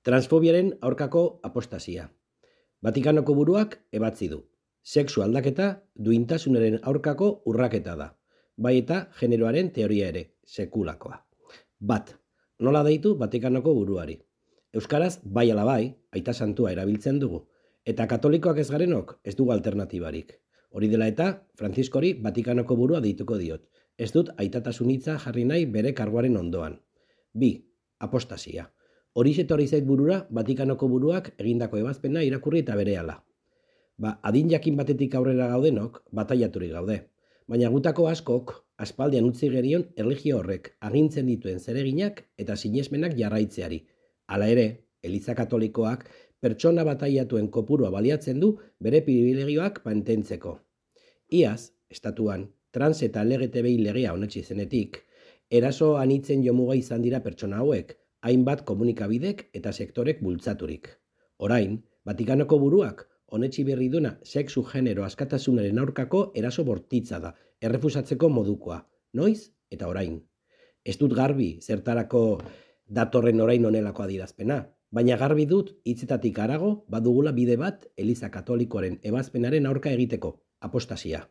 Transfobiaren aurkako apostasia. Vatikanoko buruak ebatzi du. Sexu aldaketa duintasunaren aurkako urraketa da. Bai eta generoaren teoria ere, sekulakoa. Bat, nola deitu Vatikanoko buruari? Euskaraz bai ala bai, aita santua erabiltzen dugu. Eta katolikoak ez garenok ez dugu alternatibarik. Hori dela eta, Frantziskori Vatikanoko burua deituko diot. Ez dut aitatasun hitza jarri nahi bere karguaren ondoan. Bi, apostasia. Horixe etorri zait burura Vatikanoko buruak egindako ebazpena irakurri eta berehala. Adin jakin batetik aurrera gaudenok bataiaturik gaude. Baina gutako askok aspaldian utzi gerion erlijio horrek agintzen dituen zereginak eta sinesmenak jarraitzeari. Hala ere, Eliza Katolikoak pertsona bataiatuen kopurua baliatzen du bere pribilegioak mantentzeko. Iaz, estatuan, trans eta LGTBI legea onetsi zenetik, eraso anitzen jomuga izan dira pertsona hauek, hainbat komunikabidek eta sektorek bultzaturik. Orain, Vatikanoko buruak onetsi berri duna sexu genero askatasunaren aurkako eraso bortitza da, errefusatzeko modukoa. Noiz eta orain. Ez dut garbi zertarako datorren orain honelako adierazpena, baina garbi dut hitzetatik harago badugula bide bat Eliza Katolikoaren ebazpenaren aurka egiteko, apostasia.